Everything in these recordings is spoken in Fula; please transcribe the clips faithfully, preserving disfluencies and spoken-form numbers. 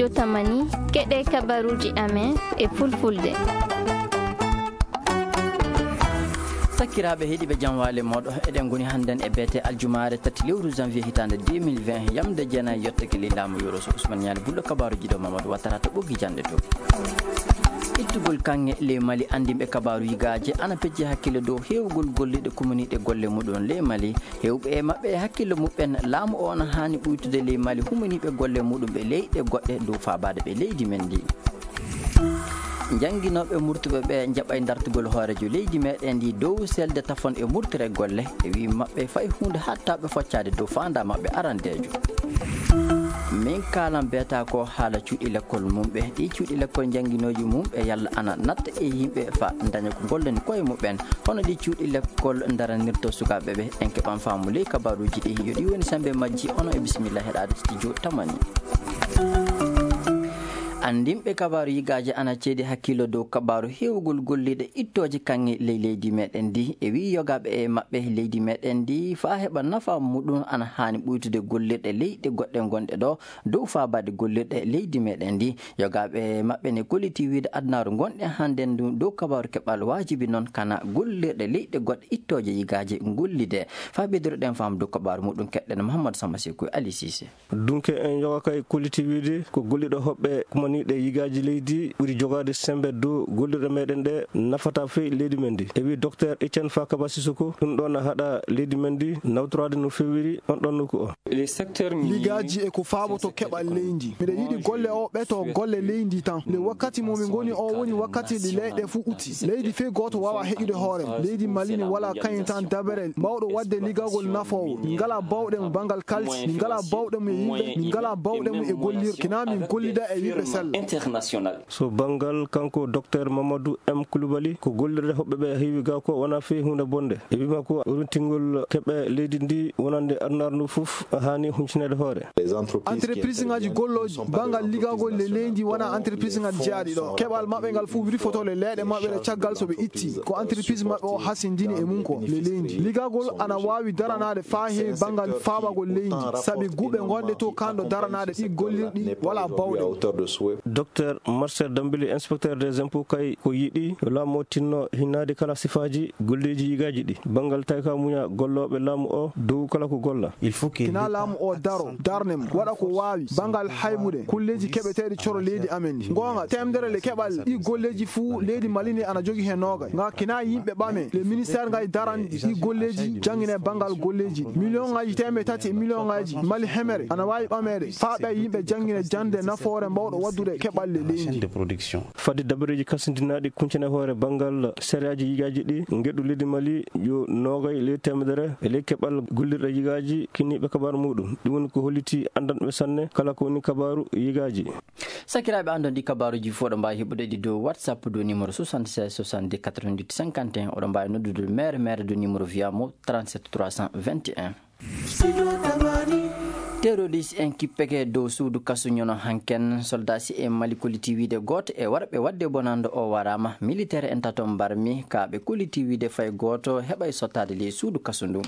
Tamani, keɗe kabaruuji amen e fulfulde. Sakiraaɓe heɗiiɓe, jam waale mooɗo. Eɗen ngoni hannden e beete aljumaare tati lewru janvier hitaande deux mille vingt, yamde jeenayi yottake ley laamu Yoro Sow. Ousmane Ñaali Bullo, kabaaruuji ɗo Mamadou Wattara to ɓoggi jannde to. Ittugol kaŋŋe ley Mali, anndinɓe kabaaru yigaaje ana pecci hakkille dow heewgol golliiɗe kumaniiɗe golle muɗum ley Mali. Heewɓe e maɓɓe e hakkille muɓɓen, laamu o ana haani ɓuytude ley Mali humaniiɓe golle muɗum ɓe leyɗe goɗɗe dow faabaade ɓe leydi men ndi. Jannginooɓe murtuɓe ɓe njaɓay dartugol hooreejo leydi meɗen ndi dow selde tafon e murtere golle. E wii maɓɓe fay huunde haɗtaa ɓe foccaade dow faandaa maɓɓe arandeejo. Min kaalan beetaa ko haala cuuɗi lekkol mum ɓe. Ɗi cuuɗi lekkol jannginooji mum ɓe yalla ana natta e yimɓe fa daña ko gollani koye muɓɓen. Hono ɗi cuuɗi lekkol daranirto sukaaɓe ɓe, en keɓan faamu ley kabaaruuji ɗi. Yo ɗi woni semmbe majji, onon e bisimilla heɗaade studio Tamani. Anndinɓe kabaaru yigaaje ana ceedi hakkillo dow kabaaru heewgol golliiɗe ittooje kaŋŋe ley leydi meɗen ndi. E wii yogaaɓe e maɓɓe leydi meɗen ndi faa heɓa nafa muɗum ana haani ɓuytude gollirɗe leyɗe goɗɗe ngonɗe ɗo dow faabaade gollirɗe leydi meɗen ndi. Yogaaɓe maɓɓe ne kolliti wiide adunaaru ngonɗen hannden ndu dow kabaaru keɓal waajibi noon kana gollirɗe leyɗe goɗɗe ittooje yigaaje gollide. Faa ɓeydiroɗen faamu dow kabaaru muɗum keɗɗen Mouhamadou Samba Sekou e Ali Cissé. Dunke en yoga kay kolliti wiide ko golliiɗo hoɓɓe kumaniiɗe yigaaji leydi ɓuri jogaade semmbe dow gollirɗe meɗen ɗe nafata fey leydi men ndi. E wii Docteur Etienne Fakaba Sissoko, ɗum ɗo na haɗa leydi men ndi nawtoraade no feewiri on ɗon nokku o. Ligaaji e ko faaboto keɓal leydi. Miɗo yiɗi golle o ɓeto golle leydi tan. Nde wakkati mo min ngoni o woni wakkati ɗi leyɗe fuu uti. Leydi fey gooto waawaa heƴude hoore mum. Leydi Mali ne walaa kañum tan dabere mawɗo waɗde ligagol nafoowo. Min ngalaa bawɗe mum banngal kalsi. Min ngalaa bawɗe mum e yimɓe. Min ngalaa bawɗe mum e gollirɗe. Kina min gollida e yimɓe sella. So banngal kanko Docteur Mamadou M Coulibaly, ko gollirde hoɓɓe ɓe heewi ga ko wonaa fey huunde bonde. E wii makko, runtingol keɓe leydi ndi wonande adunaaru ndu fof haani huncineede hoore. Entreprise ngaji gollooji banngal ligagol le leydi wonaa entreprise ngaji jeyaaɗi ɗo. Keɓal maɓɓe ngal fof wirfoto le leyɗe maɓɓe ɗe caggal so ɓe itti. Ko entreprise maɓɓe o hasindini e mum ko le leydi. Ligagol ana waawi daranaade faa heewi banngal faabagol leydi. Sabi guɓe ngonɗe to kanɗo daranaade ɗi gollirɗi walaa bawɗe. Docteur Marcel Dambili, inspecteur des impôts, kay ko yiɗi yo laamu o tinno hinnaade kala sifaaji golleeji yigaaji ɗi. Banngal tawi ka muña gollooɓe laamu o dow kala ko golla. Kina laamu o daro, darne mo, waɗa ko waawi, banngal haybude, kulleeji keɓeteeɗi coro leydi amen ndi. Ngoonga, teemedere le keɓal ɗi golleeji fuu leydi Mali ndi ana jogi heen noogay. Nga kina yimɓe ɓame, le ministère ngay daran ɗi golleeji, janngine banngal golleeji. Miliyoŋaaji teemedde tati e miliyoŋaaji Mali hemere ana waawi ɓameede, faa ɓe yimɓe janngine jannde nafoore mbawɗo waɗdude keɓal le leydi. Fadde dabareeji kasindinaaɗi kuncane hoore banngal sariyaaji yigaaji ɗi, ngeɗu leydi Mali yo noogay ley teemedere e ley keɓal gollirɗe yigaaji kinniiɓe kabaaru muɗum. Ɗum woni ko holliti anndanɓe sanne kala ko woni kabaaru yigaaji. Sakiraaɓe, anndon ɗi kabaaruuji fof ɗo mbaawi heɓude ɗi dow WhatsApp dow numéro soixante-seize soixante-dix quatre-vingt-huit cinquante et un. Oɗo mbaawi noddude maire, maire dow numéro via mo trente-sept trois cent vingt et un. Terroriste en kippeke dow suudu kasu ñono hanken. Soldat si en Mali kolliti wiide gooto e warɓe waɗde bonannde o waraama. Militaire en tato mbarmi ka ɓe kolliti wiide fay gooto heɓay sottaade ley suudu kasu ndu.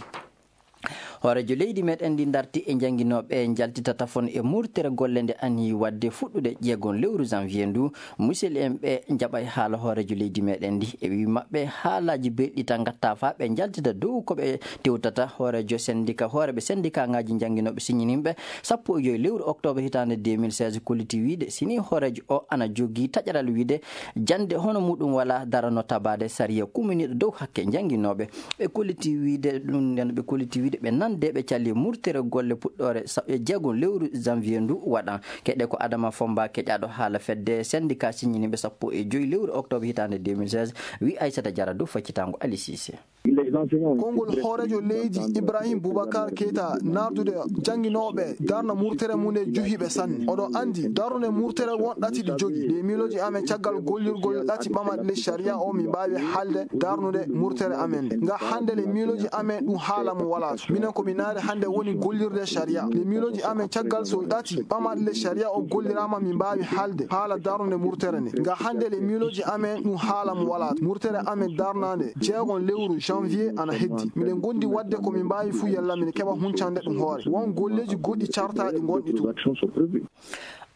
Hooreejo leydi meɗen ndi darti e jannginooɓe njaltita tafon e murtere golle nde ani waɗde fuɗɗude jeegon lewru janvier ndu. Musidɓe en ɓe njaɓay haala hooreejo leydi meɗen ndi. E wii maɓɓe haalaaji belɗi tan ngatta faa ɓe njaltita dow ko ɓe tewtata. Hooreejo sendika, hooreeɓe sendika ngaji jannginooɓe siñininɓe sappo e joy lewru octobre hitaande deux mille seize kolliti wiide sini hooreejo o ana jogii taƴaral wiide jannde hono muɗum wala darano tabaade sariya kuminiiɗo dow hakke jannginooɓe. Ɓe kolliti wiide ɗum nden, ɓe kolliti wiide ɓe nande ɓe calli murtere golle puɗɗoore sa-, e jeegon lewru janvier ndu waɗan. Keɗe ko Adama Fomba keƴaaɗo haala fedde sendika siñininɓe sappo e joy lewru octobre hitaande deux mille seize, wi Aissata Diarra dow faccitango Ali Cissé. Konngol hooreejo leydi Ibrahim Boubacar Keita nardude jannginooɓe darna murtere mum nde juhiiɓe sanne. Oɗon anndi darnude murtere won ɗati ɗi jogii. Ɗe miilooji amen caggal gollirgol ɗati ɓamaɗi ley sariya o min mbaawi haalde darnude murtere amen nde. Nga hannde le miilooji amen ɗum haala mo walaa to. Minen ko min naari hannde woni gollirde sariya. Le miilooji amen caggal so ɗati ɓamaɗi ley sariya o golliraama min mbaawi haalde haala darnude murtere nde. Nga hannde le miilooji amen ɗum haala mo walaa to. Murtere amen darnaande jeegon lewru janvier ana heddi. Miɗen ngondi waɗde ko min mbaawi fuu yalla min keɓa huncande ɗum hoore. Won golleeji goɗɗi cartaaɗi ngonɗi toon.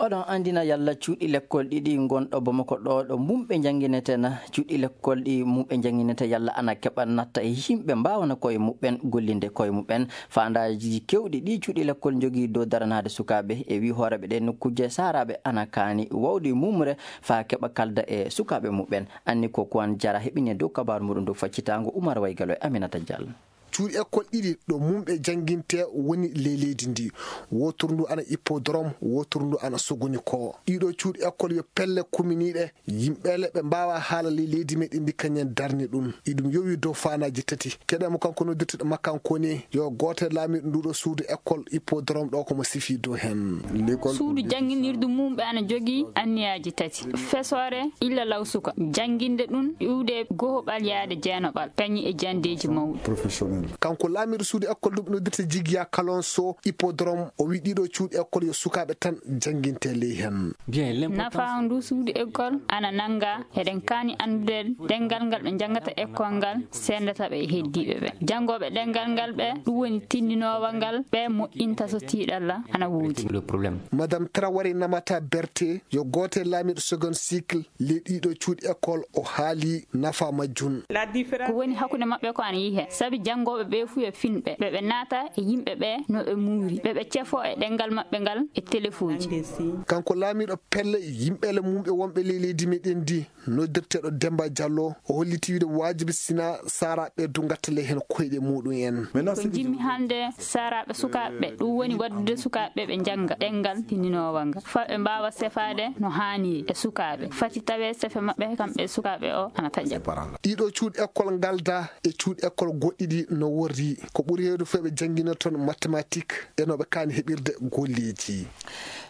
Oɗon anndina yalla cuuɗi lekkol ɗiɗi ngonɗo Bamako ɗo, ɗo mumɓe njannginetee na? Cuuɗi lekkol ɗi mumɓe njannginetee yalla ana keɓa natta e yimɓe mbaawana koye muɓɓen, gollinde koye muɓɓen? Faandaaji keewɗi ɗi cuuɗi lekkol njogii dow daranaade sukaaɓe e wii hooreeɓe ɗe nokkuuje saaraaɓe ana kaani wawde mumre faa keɓa kalda e sukaaɓe muɓɓen. Anni ko Kuwan Jara heɓini e dow kabaaru muɗum dow faccitaango Umar Waygalo e Aminata Diallo. Cuuɗi ekkol ɗiɗi ɗo mumɓe jannginte woni ley leydi ndi. Wootoru ndu ana Hippodrome, wootoru ndu ana Sogoni ko. Ɗiɗo cuuɗi ekkol yo pelle kuminiiɗe, yimɓeele ɓe mbaawa haala ley leydi meɗen ndi kañen darni ɗum. Iɗum yowi dow faanaaji tati. Keɗen mo kanko noddirteɗo makkankoni yo gooto e laamiiɗo nduɗo suudu ekkol Hippodrome ɗo ko mo sifi dow hen. Suudu jannginirdu mum ɓe ana jogii anniyaaji tati. Fesoore illa law suka. Jannginde ɗum iwde gohoɓal yaade jeenoɓal, kañum e janndeeji mawɗi. Kanko laamiiɗo suudu ekkol ɗum noddirte Jigiya Kalonso Hippodrome, o wi ɗiɗo cuuɗi ekkol yo sukaaɓe tan jannginte ley hen. Nafaa ndu suudu ekkol ana nannga, eɗen kaani anndude ɗenngal ngal ɓe njanngata ekkol ngal, senndata ɓe e heddiiɓe ɓe. Janngooɓe ɗenngal ngal ɓe, ɗum woni tinndinoowa ngal, ɓe moƴƴinta so tiiɗalla ana woodi. Madame Traoré Namata Berté, yo gooto e laamiiɗo second cycle, ley ɗiɗo cuuɗi école o haali nafa majjum. Ko woni hakkunde maɓɓe ko ana yihe, sabi janngooɓe ɓe fuu yo finɓe, ɓe ɓe naata e yimɓe ɓe no ɓe muuri, ɓe ɓe cefo e ɗenngal maɓɓe ngal e telefuuji. Kanko laamiiɗo pelle yimɓeele mum ɓe wonɓe ley leydi meɗen ndi, noddirteeɗo Demba Diallo, o holliti wiide waajibi sina saaraaɓe du ngatta ley heen koyɗe muɗum en. Ko njimmi hannde saaraaɓe sukaaɓe, ɗum woni waɗdude sukaaɓe ɓe njannga ɗenngal tinndinoowa ngal, faa ɓe mbaawa sefaade no haaniri e sukaaɓe. Fati tawee sefe maɓɓe kamɓe sukaaɓe o ana taƴa. Ɗiɗo cuuɗi école ngalda e cuuɗi école goɗɗi ɗi no worri. Ko ɓuri heewde fof ɓe janngina toon mathématique e no ɓe kaani heɓirde golleeji.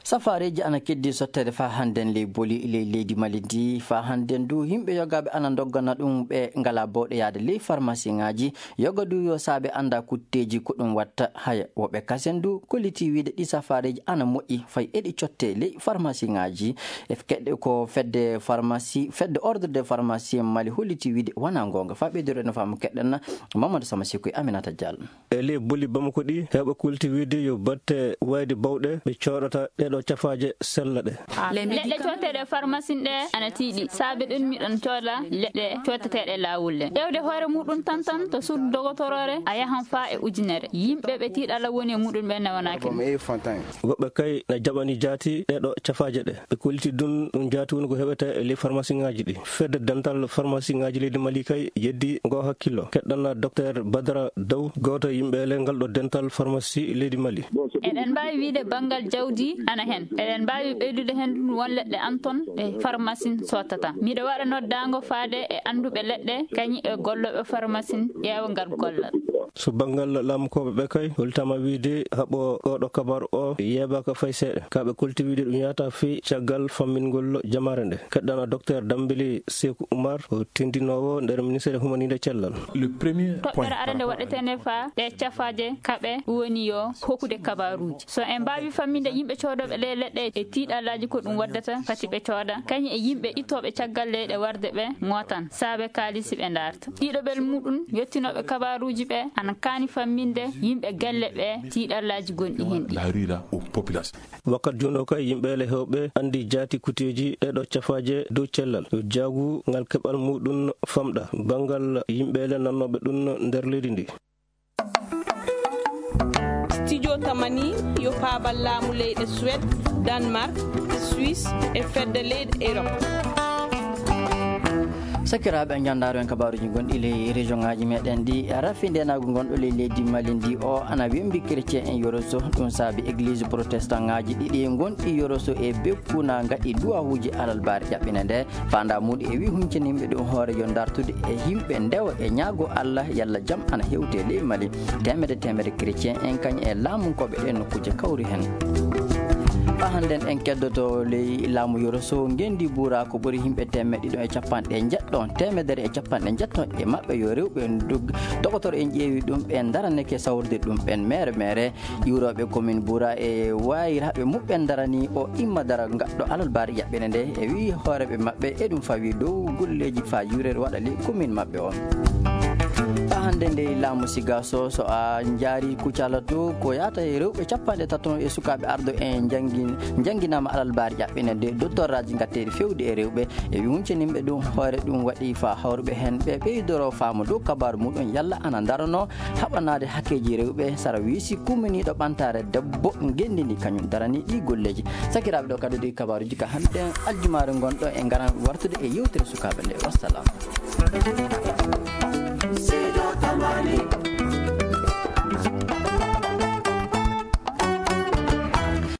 Safaareeji ana keddi sotteede faa hannden ley boli ley leydi Mali ndi. Faa hannden du, yimɓe yogaaɓe ana ndoggana ɗum ɓe ngalaa bawɗe yahde ley farmasiŋaaji. Yoga du yo saabe annda kutteeji ko ɗum watta. Haya, woɓɓe kasen du kollitii wiide ɗi safaareeji ana moƴƴi fay eɗi cottee ley farmasiŋaaji. E keɗɗe ko fedde farmasi, fedde ordre de farmasi Mali hollitii wiide wanaa goonga. Faa ɓeydoren no faamu keɗɗen Mamadou Sama Sikku e Aminata Diallo. E ley boli Bamako ɗi, heewɓe kollitii wiide yo batte wayde bawɗe ɓe cooɗata ɗeeɗo cafaaje sella ɗe. Leɗɗe cooteeɗe farmasin ɗe ana tiiɗi. Saabe ɗum miɗon cooda leɗɗe cooteteeɗe laawol ɗe. Ƴeewde hoore muɗum tan tan to suudu dogotoroore a yahan faa e ujunere. Yimɓe ɓe tiiɗalla woni e muɗum ɓe newanaaki. Woɓɓe kay na jaɓani jaati ɗeeɗo cafaaje ɗe. Ɓe kolliti ɗum, ɗum jaati woni ko heɓete e ley farmasiŋaaji ɗi. Fedde dental farmasiŋaaji leydi Mali kay yeddi ngo hakkillo. Keɗɗana Docteur Badara Daw, gooto e yimɓe e ley ngal ɗo dental farmasi leydi Mali. Eɗen mbaawi wiide banngal jawdi ana heen. Eɗen mbaawi ɓeydude heen ɗum won leɗɗe an toon ɗe farmasin sottata. Miɗo waɗa noddaango faade e annduɓe leɗɗe, kañum e gollooɓe farmasin ƴeewa ngal gollal. So banngal laamukooɓe ɓe kay, hollitaama wiide haɓo oɗo kabaaru o yeebaaka fay seeɗa. Ka ɓe kolti wiide ɗum yahata fii caggal fammingol jamaare nde. Keɗɗana Docteur Dambili Seeku Umar, o tindinoowo nder ministère humaniinde cellal. Toɓɓere arande waɗeteende faa ɗe cafaaje kaɓe woni yo hokkude kabaaruuji. So en mbaawi famminde yimɓe coodooɓe ɗe leɗɗe e tiiɗallaaji ko ɗum waddata, fati ɓe cooda, kañum e yimɓe ittooɓe caggal leyɗe warde ɓe ŋootan, saabe kaalisi ɓe ndaarta. Ɗiɗoɓel muɗum, yottinooɓe kabaaruuji ɓe ana kaani famminde yimɓe galle ɓe tiiɗallaaji gonɗi heen ɗi. Wakkat jooni o kay, yimɓe le heewɓe anndi jaati kuteeji ɗeeɗo cafaaje dow cellal. Yo jaagu ngal keɓal muɗum famɗa banngal yimɓe le nannooɓe ɗum nder leydi ndi. Studio Tamani yo paabal laamu leyɗe Suède, Danemark, Suisse e fedde leyɗe Europe. Sakiraaɓe, en njanndaaro en kabaaruuji gonɗi ley région ŋaaji meɗen ɗi. Rafi ndeenaagu ngonɗo ley leydi Mali ndi o ana wembi chrétien en Yoroso. Ɗum saabi église protestant ŋaaji ɗiɗi gonɗi Yoroso e Bekku na ngaɗi duwawuuji alalbaare ƴaɓɓinde nde. Faandaa muɗum e wi huncini yimɓe ɗum hoore yo ndartude e yimɓe ndewa e ñaago Allah yalla jam ana hewte ley Mali. Teemedde teemedde chrétien en kañ e laamunkooɓe ɗe nokkuuje kawri heen. Faa hannden en keddoto ley laamu Yoroso ngenndi buura ko ɓuri yimɓe teemedde ɗiɗo e capanɗe njeɗɗo, teemedere e capanɗe njeɗɗo e maɓɓe yo rewɓe dog-, dogotoro en ƴeewi ɗum ɓe ndaraneke sawrude ɗum ɓen meere meere. Iwrooɓe commune Boura e waayiraaɓe muɓɓen darani o imma dara gaɗɗo alalbaari ƴaɓɓere nde e wii hooreeɓe maɓɓe e ɗum fawi dow golleeji faa iwrere waɗa ley commune maɓɓe o. Hannde nde laamu siga so so a njaari kucala to ko yaata e rewɓe capanɗe tato e sukaaɓe ardo e njanngi- njannginaama alalbaari ƴaɓɓinande doctoraaji ngatteeri fewde e rewɓe e wi huncaninɓe ɗum hoore ɗum waɗi fa hawruɓe heen ɓe ɓeydoro faamu dow kabaaru muɗum yalla ana ndarano haɓanaade hakkeeji rewɓe sara wiisi kumminiiɗo ɓantaare debbo ngenndi ndi kañum darani ɗi golleeji. Sakiraaɓe ɗo kadi ɗi kabaaruuji ka hannde aljumaare ngonɗo e ngaran wartude e yewtere sukaaɓe nde. Wassalam.